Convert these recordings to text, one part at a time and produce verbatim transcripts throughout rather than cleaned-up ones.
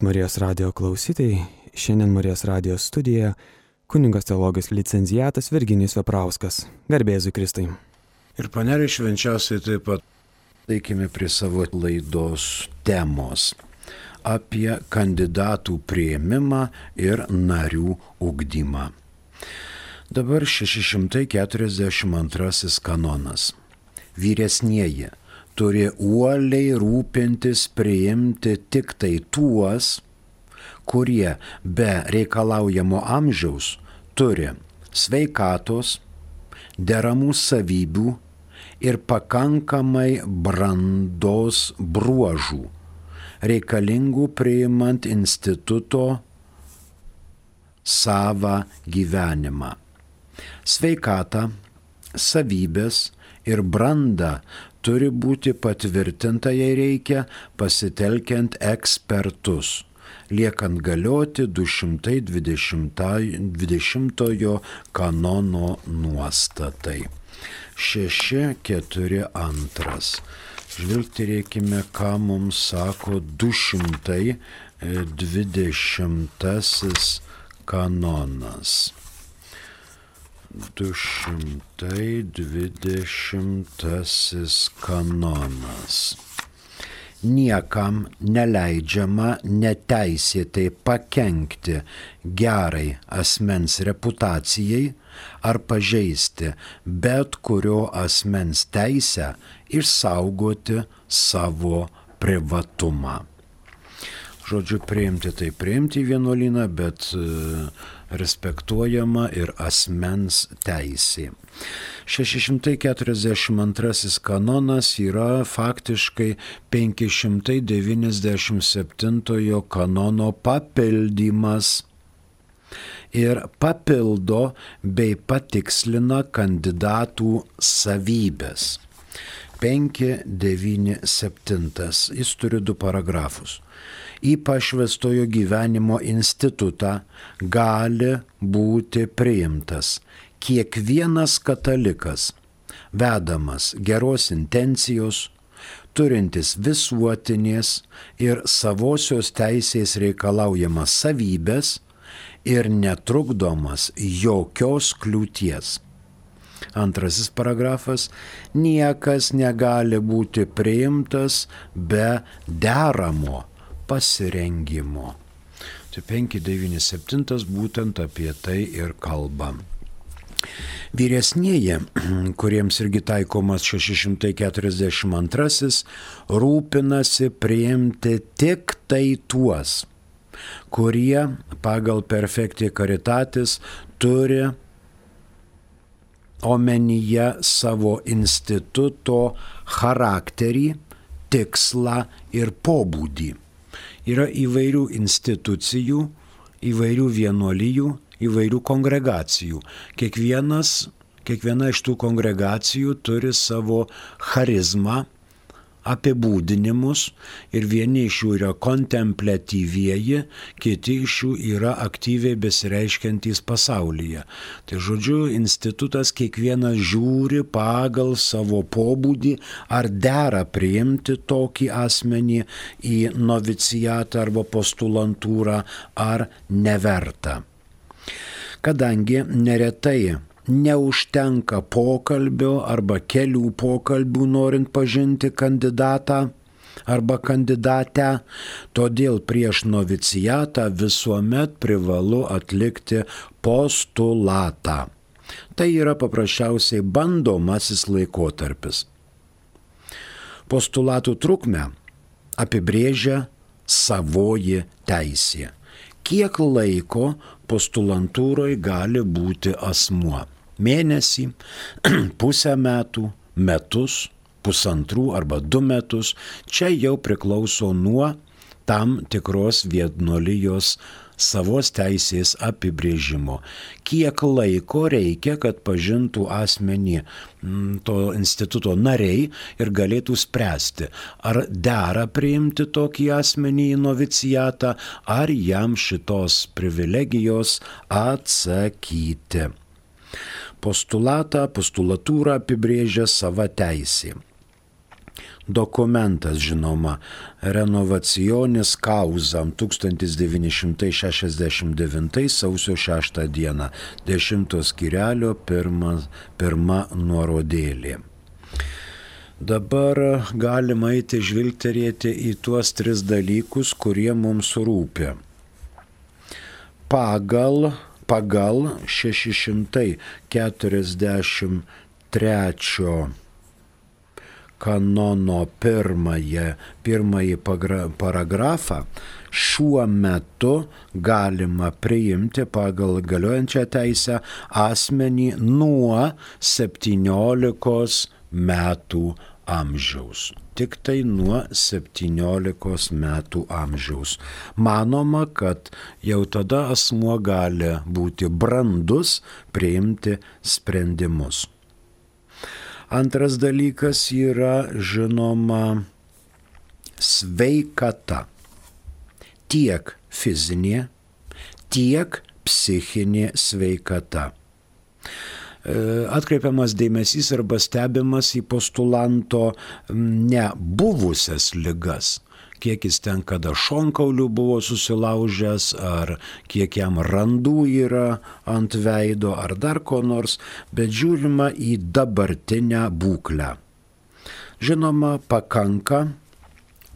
Marijos radijo klausytojai, šiandien Marijos radijo studijoje kunigas teologijos licenciatas Virginijus Veprauskas. Garbė Jėzui Kristui. Ir panelė švenčiausiai taip pat eikime prie savo laidos temos apie kandidatų priėmimą ir narių ugdymą. Dabar šeši šimtai keturiasdešimt antrasis kanonas. Vyresnieji turi uoliai rūpintis priimti tik tai tuos, kurie be reikalaujamo amžiaus turi sveikatos, deramų savybių ir pakankamai brandos bruožų, reikalingų priimant instituto savą gyvenimą. Sveikata, savybės ir branda turi būti patvirtinta, jei reikia, pasitelkiant ekspertus, liekant galioti du šimtai dvidešimtojo kanono nuostatai. šeši keturi antras. Žvilgterėkime, ką mums sako du šimtai dvidešimtasis kanonas. du šimtai dvidešimtasis kanonas. Niekam neleidžiama neteisėtai pakenkti gerai asmens reputacijai ar pažeisti bet kurio asmens teisę išsaugoti savo privatumą. Žodžiu, priimti tai priimti į vienuolyną, bet respektuojama ir asmens teisė. šeši šimtai keturiasdešimt antrasis kanonas yra faktiškai penki šimtai devyniasdešimt septintojo kanono papildymas ir papildo bei patikslina kandidatų savybės. penki devyni septyni. Jis turi du paragrafus. Į pašvęstojo gyvenimo institutą gali būti priimtas kiekvienas katalikas, vedamas geros intencijos, turintis visuotinės ir savosios teisės reikalaujamas savybės ir netrukdomas jokios kliūties. Antrasis paragrafas. Niekas negali būti priimtas be deramo pasirengimo. Tai penki devyni septyni būtent apie tai ir kalba. Vyresnieji, kuriems irgi taikomas šeši šimtai keturiasdešimt antrasis, rūpinasi priimti tik tai tuos, kurie pagal perfecti caritatis turi omenyje savo instituto charakterį, tikslą ir pobūdį. Yra įvairių institucijų, įvairių vienuolijų, įvairių kongregacijų. Kiekvienas, kiekviena iš tų kongregacijų turi savo charizmą, apibūdinimus ir vieni iš jų yra kontempliatyvieji, kiti iš jų yra aktyviai besireiškiantys pasaulyje. Tai žodžiu, institutas kiekvienas žiūri pagal savo pobūdį, ar dera priimti tokį asmenį į novicijatą arba postulantūrą, ar neverta. Kadangi neretai neužtenka pokalbio arba kelių pokalbių norint pažinti kandidatą arba kandidatę, todėl prieš novicijatą visuomet privalu atlikti postulatą. Tai yra paprasčiausiai bandomasis laikotarpis. Postulatų trukmę apibrėžia savoji teisė. Kiek laiko postulantūroje gali būti asmuo? Mėnesį, pusę metų, metus, pusantrų arba du metus. Čia jau priklauso nuo tam tikros vienuolijos savos teisės apibrėžimo. Kiek laiko reikia, kad pažintų asmenį to instituto nariai ir galėtų spręsti, ar dera priimti tokį asmenį į novicijatą, ar jam šitos privilegijos atsakyti. Postulatą, postulatūrą apibrėžia sava teisė. Dokumentas, žinoma, Renovacionis Causam tūkstantis devyni šimtai šešiasdešimt devyni sausio šeštą dieną, dešimto skyrelio pirma, pirma nuorodėlė. Dabar galima eiti žvilgterėti į tuos tris dalykus, kurie mums rūpi. Pagal, pagal šeši šimtai keturiasdešimt trečio kanono pirmąjį, pirmąjį paragrafą šiuo metu galima priimti pagal galiojančią teisę asmenį nuo septyniolikos metų amžiaus. Tik tai nuo septyniolikos metų amžiaus. Manoma, kad jau tada asmuo gali būti brandus priimti sprendimus. Antras dalykas yra, žinoma, sveikata. Tiek fizinė, tiek psichinė sveikata. Atkreipiamas dėmesys arba stebimas į postulanto nebuvusias ligas. Kiek jis ten kada šonkaulių buvo susilaužęs, ar kiek jam randų yra ant veido, ar dar ko nors, bet žiūrima į dabartinę būklę. Žinoma, pakanka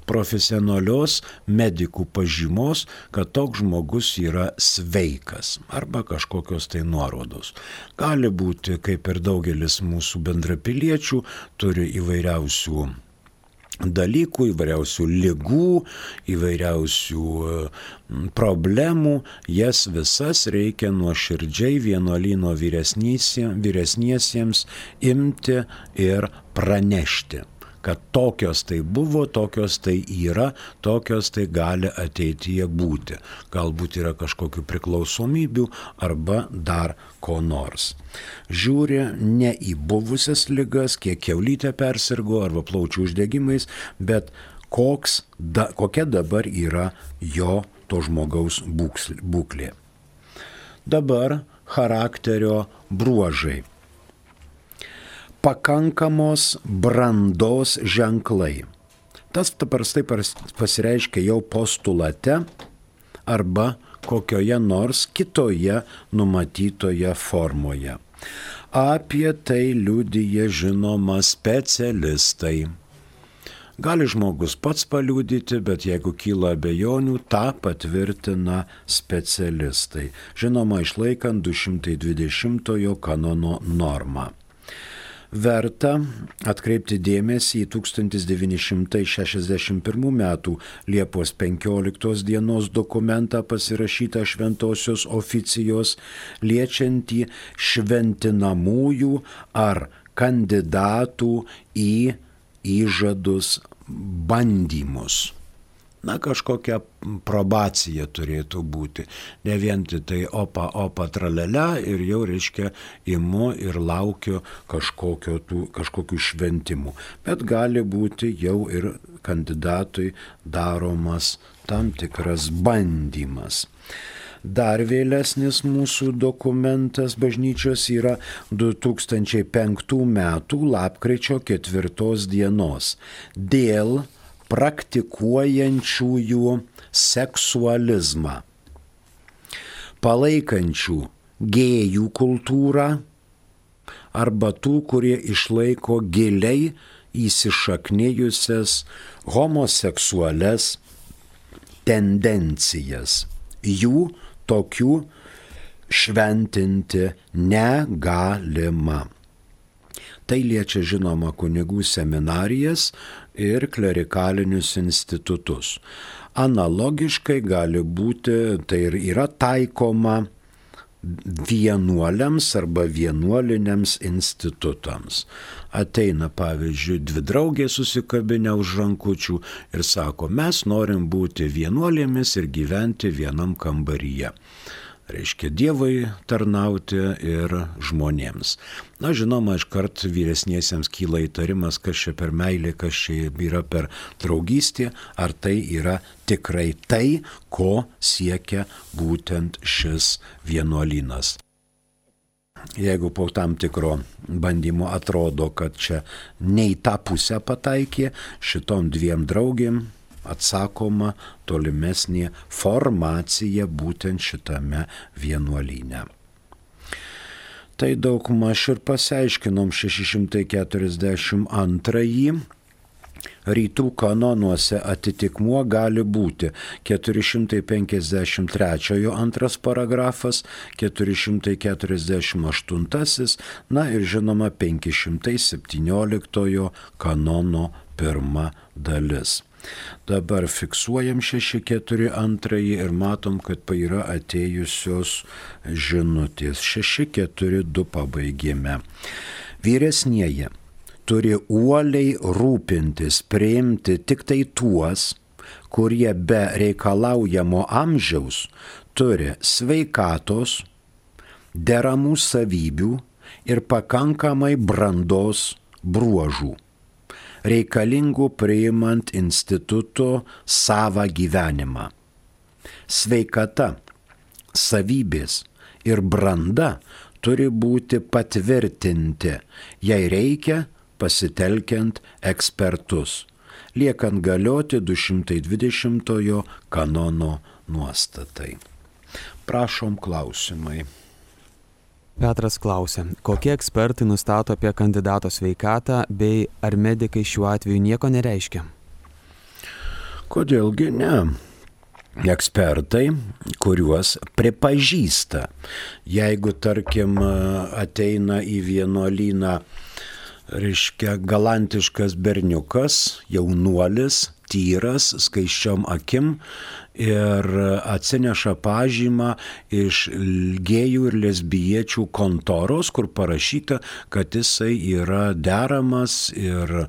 profesionalios medikų pažymos, kad toks žmogus yra sveikas arba kažkokios tai nuorodos. Gali būti, kaip ir daugelis mūsų bendrapiliečių, turi įvairiausių dalykų, įvairiausių ligų, įvairiausių problemų, jas visas reikia nuoširdžiai vienuolyno vyresniesiems imti ir pranešti, kad tokios tai buvo, tokios tai yra, tokios tai gali ateityje būti. Galbūt yra kažkokių priklausomybių arba dar ko nors. Žiūri ne į buvusias ligas, kiek kiaulytė persirgo arba plaučių uždegimais, bet koks, da, kokia dabar yra jo to žmogaus būklė. Dabar charakterio bruožai. Pakankamos brandos ženklai. Tas paprastai pasireiškia jau postulate arba kokioje nors kitoje numatytoje formoje. Apie tai liudija, žinoma, specialistai. Gali žmogus pats paliudyti, bet jeigu kyla abejonių, tą patvirtina specialistai. Žinoma, išlaikant du šimtai dvidešimtojo kanono normą. Verta atkreipti dėmesį į tūkstantis devyni šimtai šešiasdešimt pirmų metų Liepos penkioliktos dienos dokumentą pasirašytą šventosios oficijos, liečiantį šventinamųjų ar kandidatų į įžadus bandymus. Na, kažkokia probacija turėtų būti. Ne vien tai opa, opa, tralelia ir jau, reiškia, imu ir laukiu kažkokio tų, kažkokių šventimų. Bet gali būti jau ir kandidatui daromas tam tikras bandymas. Dar vėlesnis mūsų dokumentas bažnyčios yra du tūkstančiai penktų metų lapkričio ketvirtos dienos dėl praktikuojančiųjų seksualizmą, palaikančių gėjų kultūrą arba tų, kurie išlaiko giliai įsišaknijusias homoseksualias tendencijas. Jų tokių šventinti negalima. Tai liečia, žinoma, kunigų seminarijas ir klerikalinius institutus. Analogiškai gali būti, tai ir yra taikoma vienuoliams arba vienuoliniams institutams. Ateina, pavyzdžiui, dvi draugės susikabinę už rankučių ir sako, mes norim būti vienuolėmis ir gyventi vienam kambaryje. Reiškia Dievui tarnauti ir žmonėms. Na, žinoma, iškart vyresniesiems kyla įtarimas, kas čia per meilė, kas čia yra per draugystė, ar tai yra tikrai tai, ko siekia būtent šis vienuolynas. jeigu po tam tikro bandymo atrodo, kad čia ne į tą pusę pataikė, šitom dviem draugėm atsakoma tolimesnė formacija būtent šitame vienuolyne. Tai daugmaž ir pasiaiškinom šeši šimtai keturiasdešimt antrąjį. Rytų kanonuose atitikmuo gali būti keturi šimtai penkiasdešimt trečias antras paragrafas, keturi šimtai keturiasdešimt aštuntas, na ir žinoma penki šimtai septynioliktojo kanono pirma dalis. Dabar fiksuojam šeši keturi antrąjį ir matom, kad yra atėjusios žinutės. šeši keturi du pabaigėme. Vyresnieji turi uoliai rūpintis, priimti tik tai tuos, kurie be reikalaujamo amžiaus turi sveikatos, deramų savybių ir pakankamai brandos bruožų, reikalingų priimant instituto savą gyvenimą. Sveikata, savybės ir branda turi būti patvirtinti, jei reikia, pasitelkiant ekspertus, liekant galioti du šimtai dvidešimtojo kanono nuostatai. Prašom klausimai. Petras klausia, kokie ekspertai nustato apie kandidato sveikatą, bei ar medikai šiuo atveju nieko nereiškia? Kodėlgi ne? Ekspertai, kuriuos pripažįsta. Jeigu, tarkim, ateina į vienuolyną, reiškia, galantiškas berniukas, jaunuolis, tyras, skaisčiom akim ir atsineša pažymą iš gėjų ir lesbiečių kontoros, kur parašyta, kad jisai yra deramas ir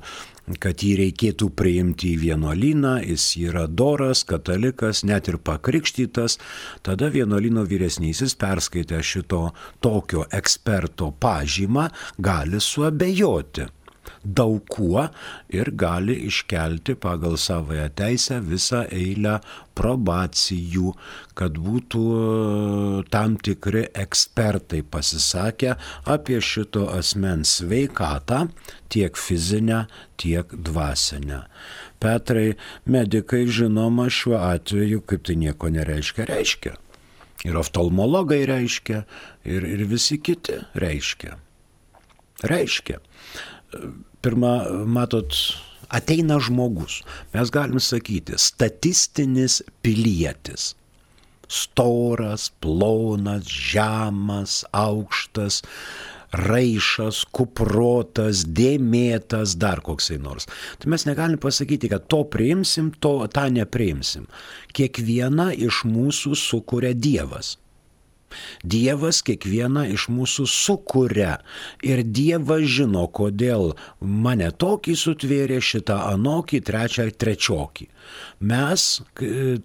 kad jį reikėtų priimti į vienuolyną, jis yra doras, katalikas, net ir pakrikštytas, tada vienuolyno vyresnysis perskaitę šito tokio eksperto pažymą gali suabejoti daug kuo ir gali iškelti pagal savąją teisę visą eilę probacijų, kad būtų tam tikri ekspertai pasisakę apie šito asmens sveikatą, tiek fizinę, tiek dvasinę. Petrai, medikai žinoma šiuo atveju, kaip tai nieko nereiškia, reiškia. Ir oftalmologai reiškia, ir, ir visi kiti reiškia. Reiškia. Pirma, matot, ateina žmogus, mes galim sakyti, statistinis pilietis. Storas, plonas, žemas, aukštas, raišas, kuprotas, dėmėtas, dar koksai nors. Tai mes negalim pasakyti, kad to priimsim, to tą nepriimsim. Kiekvieną iš mūsų sukuria Dievas. Dievas kiekvieną iš mūsų sukuria ir Dievas žino, kodėl mane tokį sutvėrė, šitą anokį, trečią trečiokį. Mes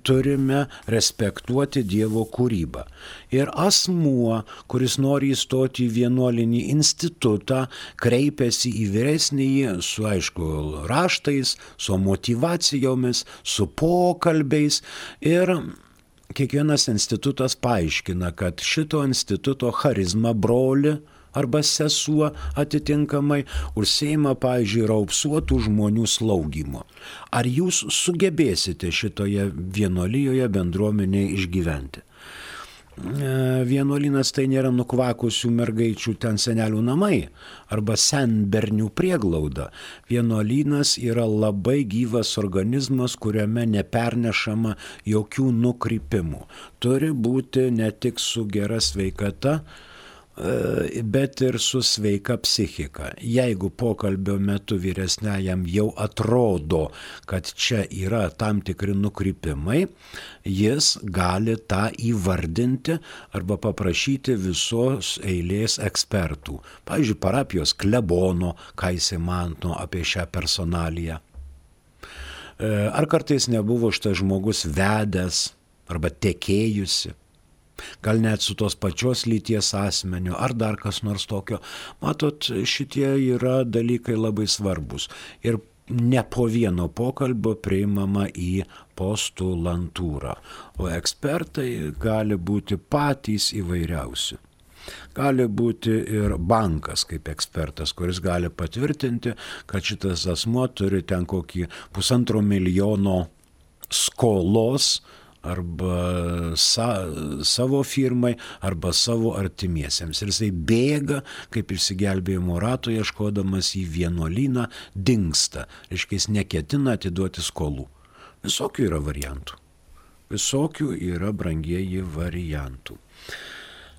turime respektuoti Dievo kūrybą. Ir asmuo, kuris nori įstoti į vienuolinį institutą, kreipiasi į vyresnįjį su, aišku, raštais, su motyvacijomis, su pokalbiais ir kiekvienas institutas paaiškina, kad šito instituto charizma broli arba sesuo atitinkamai užsiima, pavyzdžiui, raupsuotų žmonių slaugymo. Ar jūs sugebėsite šitoje vienuolijoje bendruomenėje išgyventi? Vienuolynas tai nėra nukvakusių mergaičių ten senelių namai arba senbernių prieglauda. Vienuolynas yra labai gyvas organizmas, kuriame nepernešama jokių nukrypimų. Turi būti ne tik su gera sveikata, bet ir su sveika psichika. Jeigu pokalbio metu vyresniajam jau atrodo, kad čia yra tam tikri nukrypimai, jis gali tą įvardinti arba paprašyti visos eilės ekspertų. Pavyzdžiui, parapijos klebono, ką jisai mano apie šią personaliją. Ar kartais nebuvo šitas žmogus vedęs arba tekėjusi. Gal net su tos pačios lyties asmeniu, ar dar kas nors tokio. Matot, šitie yra dalykai labai svarbus. Ir ne po vieno pokalbio priimama į postulantūrą. O ekspertai gali būti patys įvairiausi. Gali būti ir bankas kaip ekspertas, kuris gali patvirtinti, kad šitas asmuo turi ten kokį pusantro milijono skolos arba sa, savo firmai, arba savo artimiesiems. Ir jisai bėga, kaip išsigelbėjimo rato, ieškodamas į vienuolyną, dingsta. Reiškia, jis neketina atiduoti skolų. Visokių yra variantų. Visokių yra, brangieji, variantų.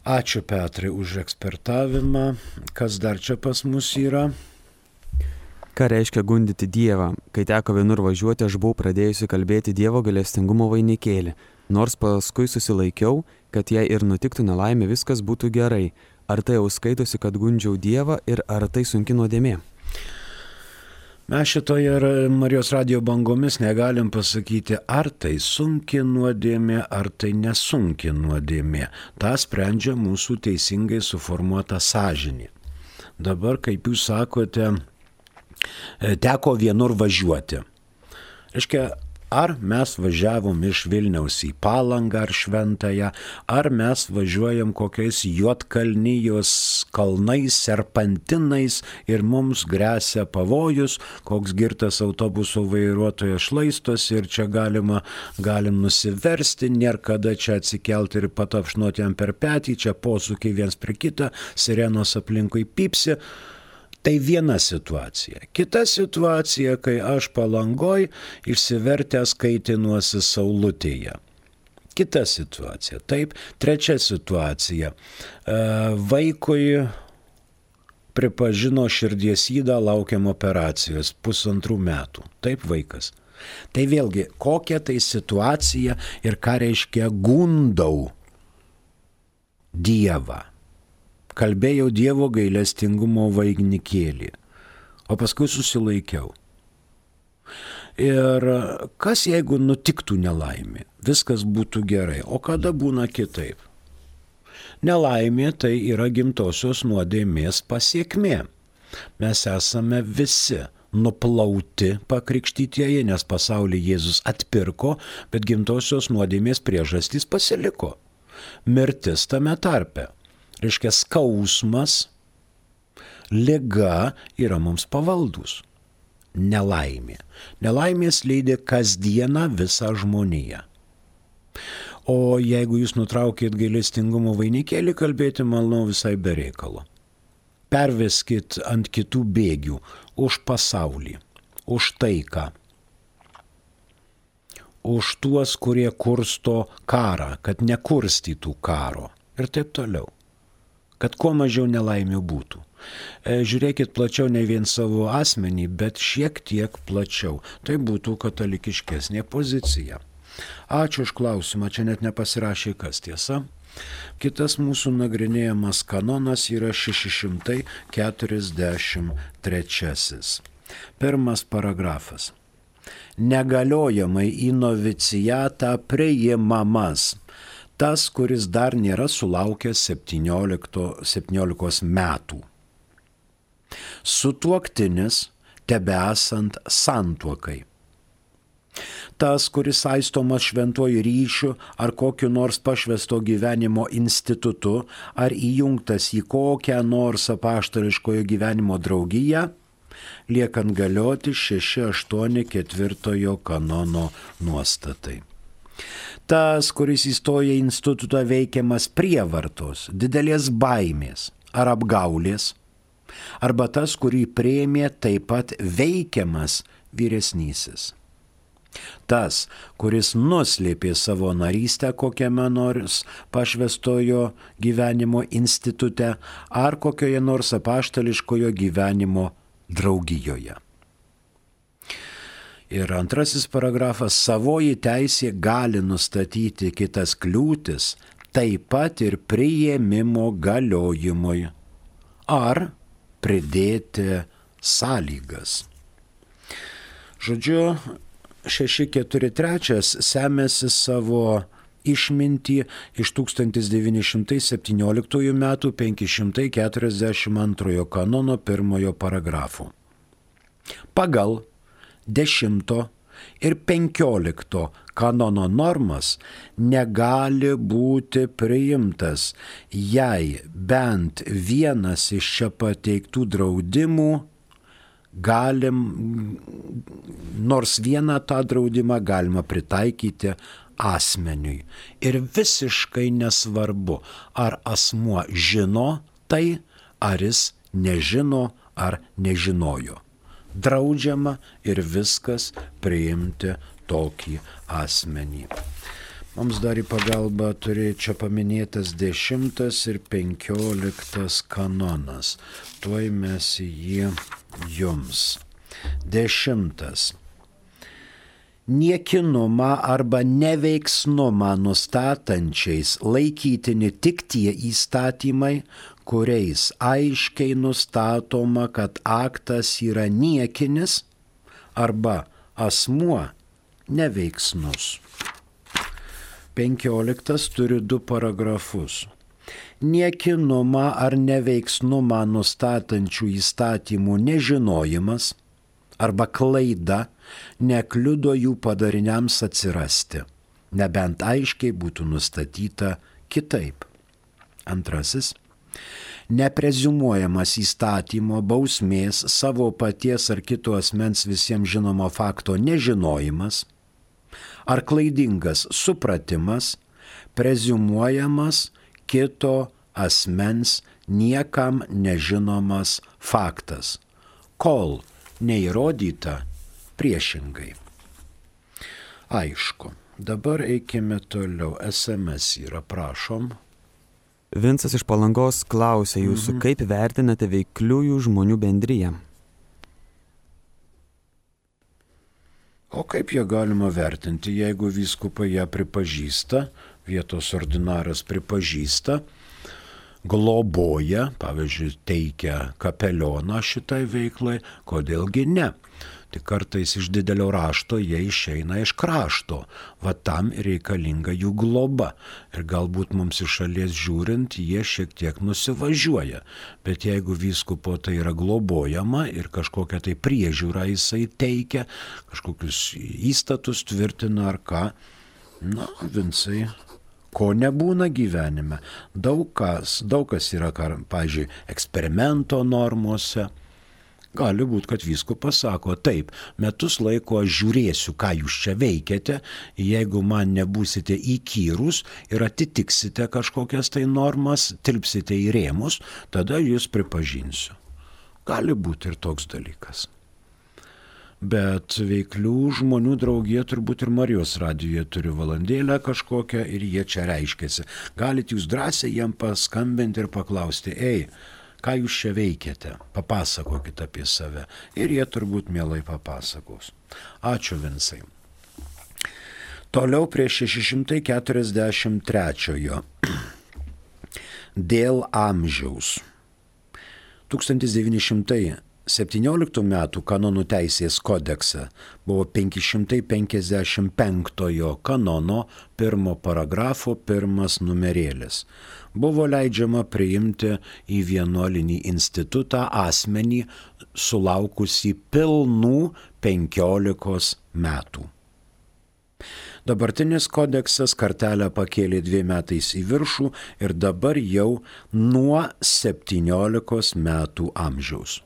Ačiū, Petrai, už ekspertavimą. Kas dar čia pas mus yra? Ką reiškia gundyti Dievą? Kai teko vienur važiuoti, aš buvau pradėjusi kalbėti Dievo gailestingumo vainikėlį. Nors paskui susilaikiau, kad jei ir nutiktų nelaimė, viskas būtų gerai. Ar tai jau skaitosi, kad gundžiau Dievą ir ar tai sunki nuodėmė? Mes šitoje Marijos radijo bangomis negalim pasakyti, ar tai sunki nuodėmė, ar tai nesunki nuodėmė. Ta sprendžia mūsų teisingai suformuota sąžinė. Dabar, kaip jūs sakote, teko vienur važiuoti. Reiškia, ar mes važiavom iš Vilniaus į Palangą ar Šventąją, ar mes važiuojam kokiais Juodkalnijos kalnais, serpantinais ir mums gresia pavojus, koks girtas autobuso vairuotojas šlaistosi ir čia galima, galim nusiversti, nėra kada čia atsikelti ir patapšnoti jam per petį, čia posūkiai viens prie kitą, sirenos aplinkui pypsi. Tai viena situacija. Kita situacija, kai aš Palangoj išsivertęs kaitinuosi saulutėje. Kita situacija. Taip, trečia situacija. Vaikui pripažino širdies ydą, laukiam operacijos pusantrų metų. Taip, vaikas. Tai vėlgi, kokia tai situacija ir ką reiškia gundau Dievą. Kalbėjau Dievo gailestingumo vainikėlį, o paskui susilaikiau. Ir kas jeigu nutiktų nelaimė? Viskas būtų gerai, o kada būna kitaip? Nelaimė tai yra gimtosios nuodėmės pasiekmė. Mes esame visi nuplauti pakrikštytieji, nes pasaulį Jėzus atpirko, bet gimtosios nuodėmės priežastys pasiliko. Mirtis tame tarpe. Reiškia, skausmas, liga yra mums pavaldus. Nelaimė. Nelaimės lydi kasdieną visą žmoniją. O jeigu jūs nutraukėt gailestingumo vainikėlį kalbėti, manau, visai be reikalo. Perveskit ant kitų bėgių už pasaulį, už taiką, už tuos, kurie kursto karą, kad nekurstytų karo ir taip toliau. Kad kuo mažiau nelaimių būtų. Žiūrėkit plačiau ne vien savo asmenį, bet šiek tiek plačiau. Tai būtų katalikiškesnė pozicija. Ačiū už klausimą, čia net nepasirašė kas, tiesa. Kitas mūsų nagrinėjamas kanonas yra šeši šimtai keturiasdešimt trečiasis. Pirmas paragrafas. Negaliojamai į novicijatą priimamas tas, kuris dar nėra sulaukęs septyniolikos metų. Sutuoktinis tebesant santuokai. Tas, kuris saistomas šventuoju ryšiu ar kokiu nors pašvęsto gyvenimo institutu ar įjungtas į kokią nors apaštališkojo gyvenimo draugiją, liekant galioti šeši aštuoni ketvirtojo kanono nuostatai. Tas, kuris įstoja į institutą veikiamas prievartos, didelės baimės ar apgaulės, arba tas, kurį priėmė taip pat veikiamas vyresnysis. Tas, kuris nuslėpė savo narystę kokiame nors pašvęstojo gyvenimo institute ar kokioje nors apaštališkojo gyvenimo draugijoje. Ir antrasis paragrafas, savoji teisė gali nustatyti kitas kliūtis, taip pat ir priėmimo galiojimui, ar pridėti sąlygas. Žodžiu, šeši keturi trys semėsi savo išmintį iš tūkstantis devyni šimtai septynioliktųjų metų penki šimtai keturiasdešimt antrojo kanono pirmojo paragrafo. Pagal dešimto ir penkiolikto kanono normas negali būti priimtas, jei bent vienas iš čia pateiktų draudimų galim, nors vieną tą draudimą galima pritaikyti asmeniui. Ir visiškai nesvarbu, ar asmuo žino tai, ar jis nežino, ar nežinojo. Draudžiama ir viskas priimti tokį asmenį. Mums dar į pagalbą turėjo čia paminėtas dešimtas ir penkioliktas kanonas. Tuoj mes jį jums. Dešimtas. Niekinumą arba neveiksnumą nustatančiais laikytini tik tie įstatymai, kuriais aiškiai nustatoma, kad aktas yra niekinis arba asmuo neveiksnus. Penkioliktas turi du paragrafus. Niekinumą ar neveiksnumą nustatančių įstatymų nežinojimas arba klaida nekliudo jų padariniams atsirasti, nebent aiškiai būtų nustatyta kitaip. Antrasis. Nepreziumuojamas įstatymo bausmės savo paties ar kito asmens visiems žinomo fakto nežinojimas ar klaidingas supratimas preziumuojamas kito asmens niekam nežinomas faktas, kol neįrodyta priešingai. Aišku, dabar eikime toliau. S M S yra, prašom. Vincas iš Palangos klausia jūsų, mhm. kaip vertinate veikliųjų žmonių bendriją? O kaip ją galima vertinti, jeigu vyskupai ją pripažįsta, vietos ordinaras pripažįsta, globoja, pavyzdžiui, teikia kapelioną šitai veiklai, kodėlgi ne? Tik kartais iš didelio rašto jie išeina iš krašto, va tam reikalinga jų globa. Ir galbūt mums iš šalies žiūrint, jie šiek tiek nusivažiuoja. Bet jeigu vyskupo tai yra globojama ir kažkokią tai priežiūrą jisai teikia, kažkokius įstatus tvirtina ar ką, na, Vincai, ko nebūna gyvenime. Daug kas, daug kas yra, pavyzdžiui, eksperimento normose. Gali būti, kad vyskupas sako, taip, metus laiko aš žiūrėsiu, ką jūs čia veikiate, jeigu man nebūsite įkyrus ir atitiksite kažkokias tai normas, tilpsite į rėmus, tada jūs pripažinsiu. Gali būti ir toks dalykas. Bet veiklių žmonių draugija turbūt ir Marijos radijoje turi valandėlę kažkokią ir jie čia reiškiasi. Galite jūs drąsiai jiem paskambinti ir paklausti, ei, ką jūs čia veikiate, papasakokite apie save. Ir jie turbūt mielai papasakos. Ačiū, Vincai. Toliau prie šeši šimtai keturiasdešimt trečiojo. Dėl amžiaus. tūkstantis devyni šimtai septynioliktų metų kanonų teisės kodekse buvo penki šimtai penkiasdešimt penktojo kanono pirmo paragrafo pirmas numerėlis. Buvo leidžiama priimti į vienuolinį institutą asmenį sulaukusį pilnų penkiolikos metų. Dabartinis kodeksas kartelę pakėlė dviem metais į viršų ir dabar jau nuo septyniolikos metų amžiaus.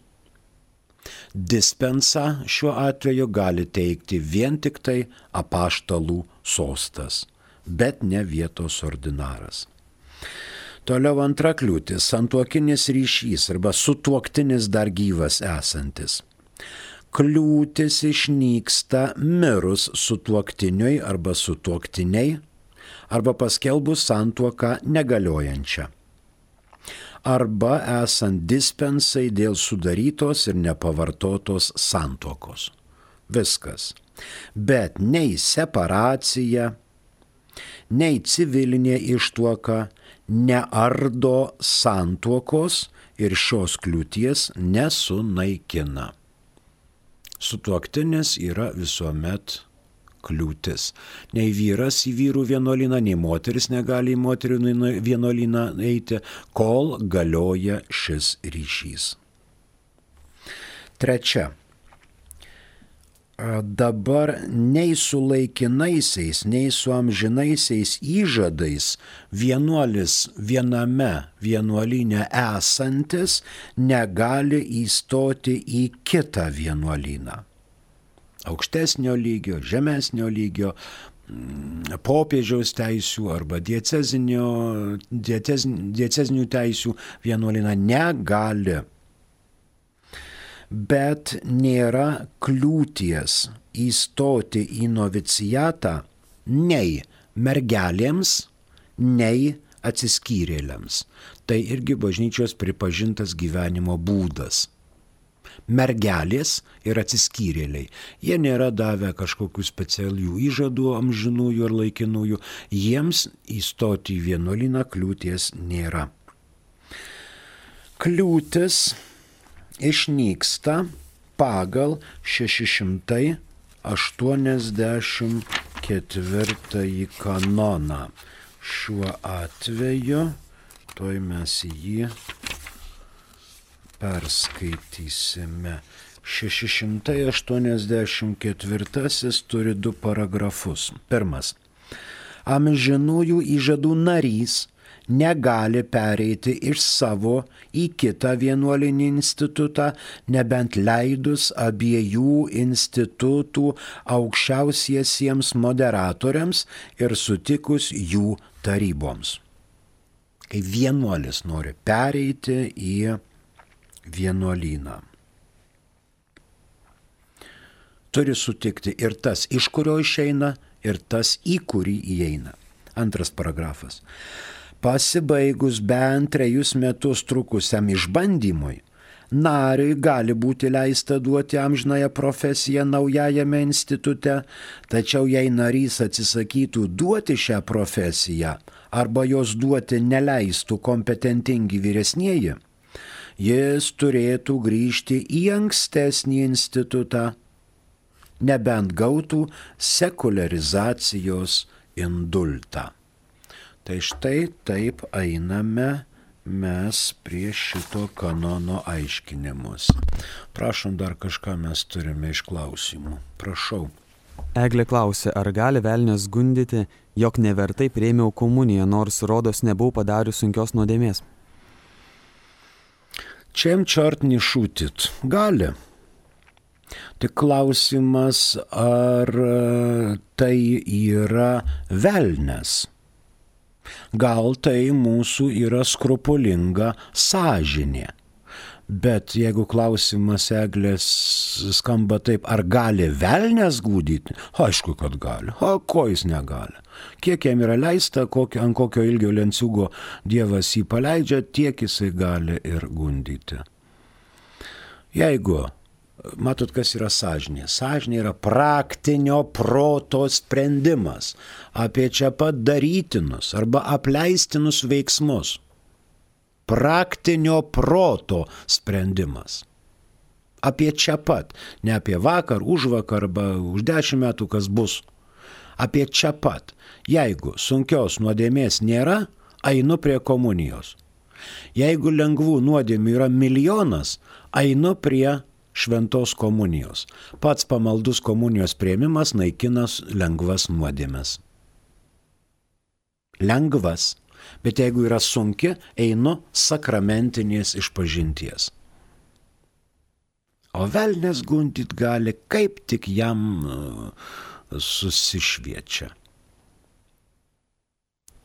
Dispensą šiuo atveju gali teikti vien tik tai apaštalų sostas, bet ne vietos ordinaras. Toliau antra kliūtis – santuokinis ryšys arba sutuoktinis dar gyvas esantis. Kliūtis išnyksta mirus sutuoktiniui arba sutuoktiniai arba paskelbus santuoką negaliojančią. Arba esant dispensai dėl sudarytos ir nepavartotos santuokos. Viskas. Bet nei separacija, nei civilinė ištuoka neardo santuokos ir šios kliūties nesunaikina. Sutuoktinis yra visuomet kliūtis. Nei vyras į vyrų vienuolyną, nei moteris negali į moterų vienuolyną eiti, kol galioja šis ryšys. Trečia. dabar nei su laikinaisiais, nei su amžinaisiais įžadais vienuolis viename vienuolyne esantis negali įstoti į kitą vienuolyną. Aukštesnio lygio, žemesnio lygio, popiežiaus teisių arba diecezinių teisių vienuolyną negali. Bet nėra kliūties įstoti į novicijatą nei mergelėms, nei atsiskyrėliams. Tai irgi bažnyčios pripažintas gyvenimo būdas. Mergelės ir atsiskyrėliai. Jie nėra davę kažkokių specialių įžadų amžinųjų ar laikinųjų. Jiems įstoti į vienuolyną kliūties nėra. Kliūtis išnyksta pagal šeši šimtai aštuoniasdešimt ketvirtąjį kanoną. Šiuo atveju, tuoj mes jį perskaitysime. šeši šimtai aštuoniasdešimt ketvirtasis turi du paragrafus. Pirmas. Amžinųjų įžadų narys negali pereiti iš savo į kitą vienuolinį institutą, nebent leidus abiejų institutų aukščiausiesiems moderatoriams ir sutikus jų taryboms. Kai vienuolis nori pereiti į vienuolyną, turi sutikti ir tas, iš kurio išeina, ir tas, į kurį įeina. Antras paragrafas. Pasibaigus bent trejus metus trukusiam išbandymui, nariui gali būti leista duoti amžinąją profesiją naujajame institute, tačiau jei narys atsisakytų duoti šią profesiją arba jos duoti neleistų kompetentingi vyresnieji, jis turėtų grįžti į ankstesnį institutą, nebent gautų sekularizacijos indultą. Tai štai taip einame mes prie šito kanono aiškinimus. Prašom, dar kažką mes turime iš klausimų. Prašau. Eglė klausė, ar gali velnias gundyti, jog nevertai priėmiau komuniją, nors rodos nebuvau padarius sunkios nuodėmės? Čem čart nešūtit? Gali. Tik klausimas, ar tai yra velnias. Gal tai mūsų yra skrupulinga sąžinė. Bet jeigu klausimas Eglės skamba taip, ar gali velnias gūdyti? Aišku, kad gali. O ko jis negali? Kiek jam yra leista, kokio, ant kokio ilgio lenciugo Dievas jį paleidžia, tiek jisai gali ir gundyti. Jeigu matot, kas yra sąžinė? Sąžinė yra praktinio proto sprendimas apie čia pat darytinus arba apleistinus veiksmus. Praktinio proto sprendimas. Apie čia pat. Ne apie vakar, už vakar arba už dešimt metų, kas bus. Apie čia pat. Jeigu sunkios nuodėmės nėra, einu prie komunijos. Jeigu lengvų nuodėmių yra milijonas, einu prie šventos komunijos. Pats pamaldus komunijos priėmimas naikinas lengvas nuodėmes. Lengvas. Bet jeigu yra sunki, einu sakramentinės išpažinties. O velnias gundyt gali, kaip tik jam susišviečia.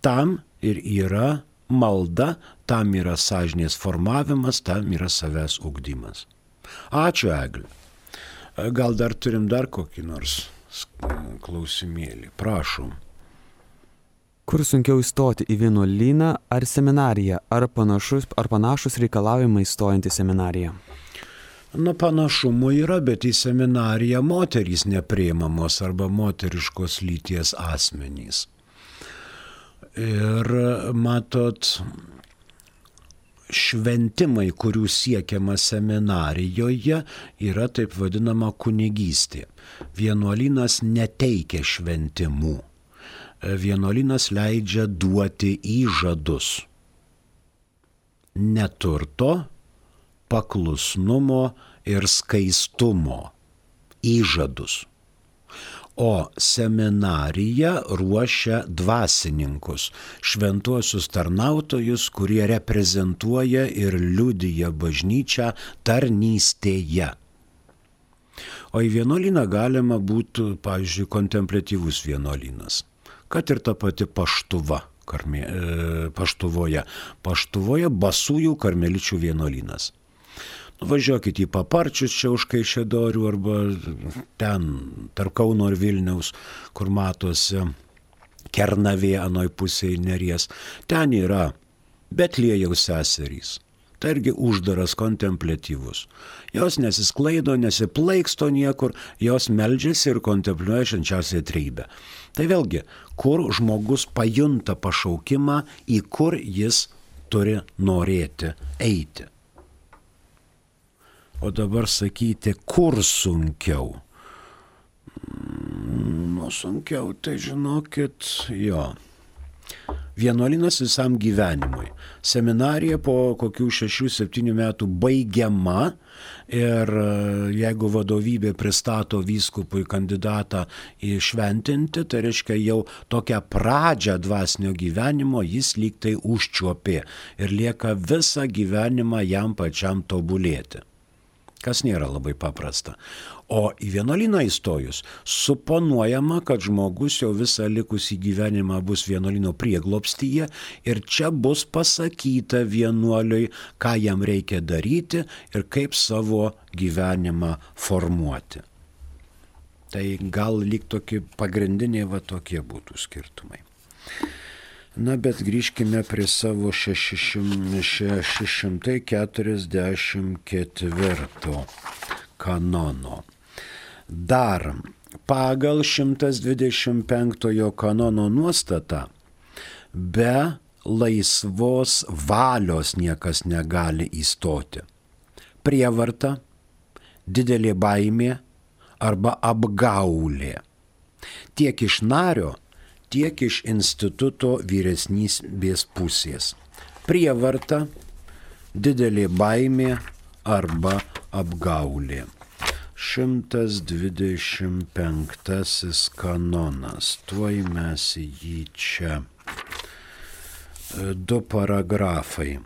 Tam ir yra malda, tam yra sąžinės formavimas, tam yra savęs ugdymas. Ačiū, Eglė. Gal dar turim dar kokį nors klausimėlį. Prašom. Kur sunkiau įstoti, į vienuolyną ar seminariją? Ar panašus, ar panašus reikalavimai stojant į seminariją? Na, panašumų yra, bet į seminariją moterys nepriimamos arba moteriškos lyties asmenys. Ir matot, šventimai, kurių siekiama seminarijoje, yra taip vadinama kunigystė. Vienuolynas neteikia šventimų. Vienuolynas leidžia duoti įžadus. Neturto, paklusnumo ir skaistumo. įžadus. O seminarija ruošia dvasininkus, šventuosius tarnautojus, kurie reprezentuoja ir liudija bažnyčią tarnystėje. O į vienuolyną galima būtų, pavyzdžiui, kontempliatyvus vienuolynas, kad ir ta pati Paštuva, karmė, e, Paštuvoje, Paštuvoje Basųjų karmeličių vienuolynas. Važiuokit į Paparčius čia už Kaišiadorių arba ten tarp Kauno ir Vilniaus, kur matosi Kernavė anoj pusėje Neries. Ten yra Betliejaus seserys. Tai irgi uždaras kontempliatyvus. Jos nesisklaido, nesiplaiksto niekur, jos meldžiasi ir kontempliuoja švenčiausiąją trejybę. Tai vėlgi, kur žmogus pajunta pašaukimą, į kur jis turi norėti eiti. O dabar sakyti, kur sunkiau? Nu, sunkiau, tai žinokit, jo. Vienuolynas visam gyvenimui. Seminarija po kokių šešių septynių metų baigiama ir jeigu vadovybė pristato vyskupui kandidatą įšventinti, tai reiškia jau tokią pradžią dvasinio gyvenimo jis lyg tai užčiuopė ir lieka visą gyvenimą jam pačiam tobulėti. Kas nėra labai paprasta. O į vienuolyną įstojus, suponuojama, kad žmogus jau visą likusį gyvenimą bus vienuolyno prieglobstyje ir čia bus pasakyta vienuoliui, ką jam reikia daryti ir kaip savo gyvenimą formuoti. Tai gal lyg tokie pagrindiniai va tokie būtų skirtumai. Na, bet grįžkime prie savo šeši šimtai keturiasdešimt ketvirto kanono. Dar pagal šimtas dvidešimt penktojo kanono nuostatą be laisvos valios niekas negali įstoti. Prievarta, didelė baimė arba apgaulė. Tiek iš nario, tiek iš instituto vyresnybės pusės. Prievarta, didelė baimė arba apgaulė. šimtas dvidešimt penktasis kanonas. Tuoj mes jį čia. Du paragrafai.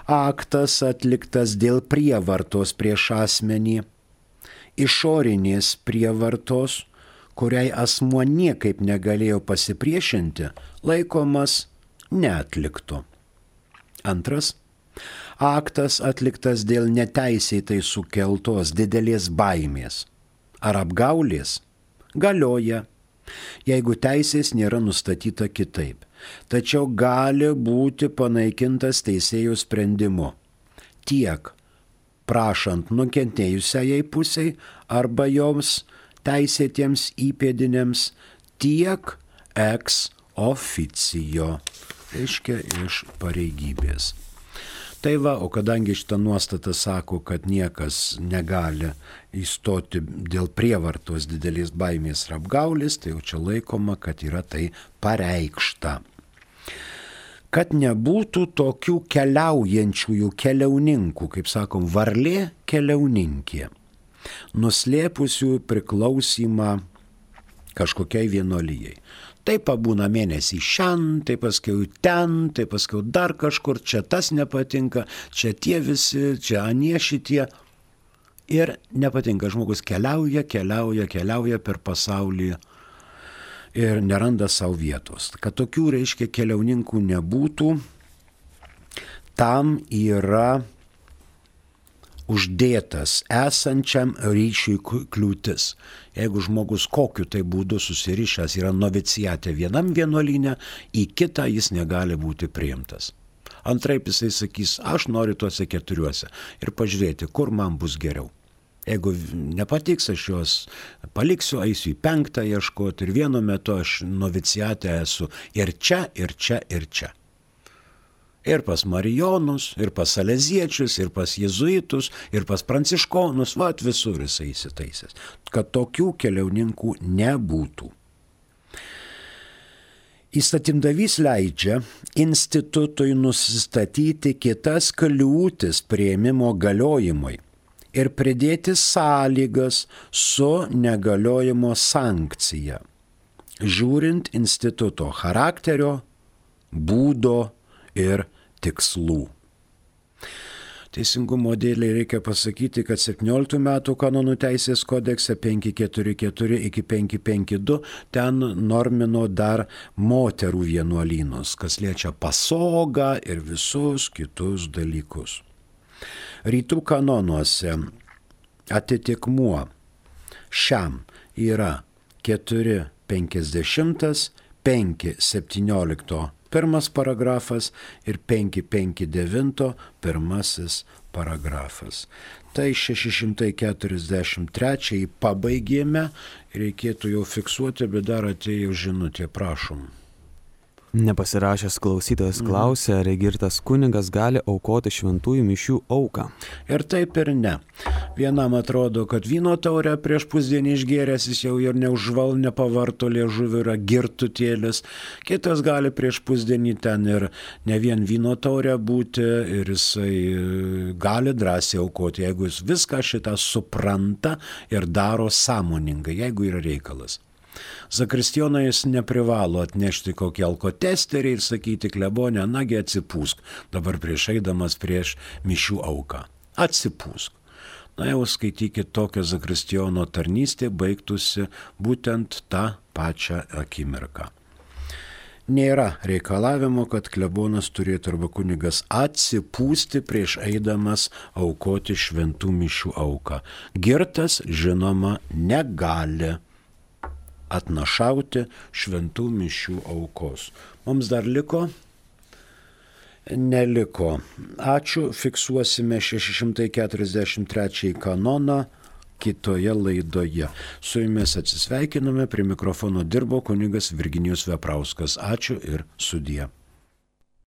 Aktas atliktas dėl prievartos prieš asmenį, išorinės prievartos, kuriai asmuo niekaip negalėjo pasipriešinti, laikomas neatliktu. Antras. Aktas atliktas dėl neteisėtai sukeltos didelės baimės ar apgaulės galioja, jeigu teisės nėra nustatyta kitaip, tačiau gali būti panaikintas teisėjų sprendimu tiek prašant nukentėjusiai pusiai arba joms teisėtiems įpėdiniams, tiek ex officio, reiškia iš pareigybės. Tai va, o kadangi šitą nuostatą sako, kad niekas negali įstoti dėl prievartos didelės baimės ir apgaulės, tai jau čia laikoma, kad yra tai pareikšta. Kad nebūtų tokių keliaujančiųjų keliauninkų, kaip sakom, varlė keliauninkė, nuslėpusių priklausimą kažkokiai vienuolijai. Tai pabūna mėnesį šian, tai paskiau ten, tai paskiau dar kažkur, čia tas nepatinka, čia tie visi, čia anie šitie. Ir nepatinka, žmogus keliauja, keliauja, keliauja per pasaulį ir neranda savo vietos. Kad tokių, reiškia, keliauninkų nebūtų, tam yra uždėtas esančiam ryšiui kliūtis. Jeigu žmogus kokiu tai būdu susirišęs yra novicijate vienam vienuolyne, į kitą jis negali būti priimtas. Antraip jisai sakys, aš noriu tuose keturiuose ir pažiūrėti, kur man bus geriau. Jeigu nepatiks, aš juos paliksiu, eisiu į penktą ieškoti ir vienu metu aš novicijate esu ir čia, ir čia, ir čia. Ir pas marijonus, ir pas saleziečius, ir pas jėzuitus, ir pas pranciškonus, vat visur jisai įsitaisęs, kad tokių keliauninkų nebūtų. Įstatymdavys leidžia institutui nusistatyti kitas kliūtis priėmimo galiojimui ir pridėti sąlygas su negaliojimo sankcija, žiūrint instituto charakterio, būdo ir tikslų. Teisingumo dėlei reikia pasakyti, kad septynioliktų metų kanonų teisės kodekse penki keturi keturi iki penki penki du ten normino dar moterų vienuolynus, kas liečia pasogą ir visus kitus dalykus. Rytų kanonuose atitikmuo šiam yra keturi penkiasdešimt, penki septyniolikto pirmas paragrafas ir penki penki devinto pirmasis paragrafas. Tai šeši šimtai keturiasdešimt trečią pabaigėme, reikėtų jau fiksuoti, bet dar atėjo žinutė, prašom. Nepasirašęs klausytojas klausė, ar girtas kunigas gali aukoti šventųjų mišių auką. Ir taip ir ne. Vienam atrodo, kad vyno taurę prieš pusdienį išgėręs jis jau ir neužval, nepavarto liežuvį, yra girtutėlis. Kitas gali prieš pusdienį ten ir ne vien vyno taurę būti ir jisai gali drąsiai aukoti, jeigu jis viską šitą supranta ir daro sąmoningai, jeigu yra reikalas. Zakristijonai jis neprivalo atnešti kokį alkotesterį ir sakyti, klebonė, nagi atsipūsk, dabar prieš eidamas prieš mišių auką. Atsipūsk. Na jau skaitykit, tokia zakristijono tarnystė baigtųsi būtent tą pačią akimirką. Nėra reikalavimo, kad klebonas turėtų arba kunigas atsipūsti prieš eidamas aukoti šventų mišių auką. Girtas, žinoma, negali atnašauti šventų mišių aukos. Mums dar liko? Neliko. Ačiū, fiksuosime šeši šimtai keturiasdešimt trečią kanoną kitoje laidoje. Su jumis atsisveikiname, prie mikrofono dirbo kunigas Virginijus Veprauskas. Ačiū ir sudie.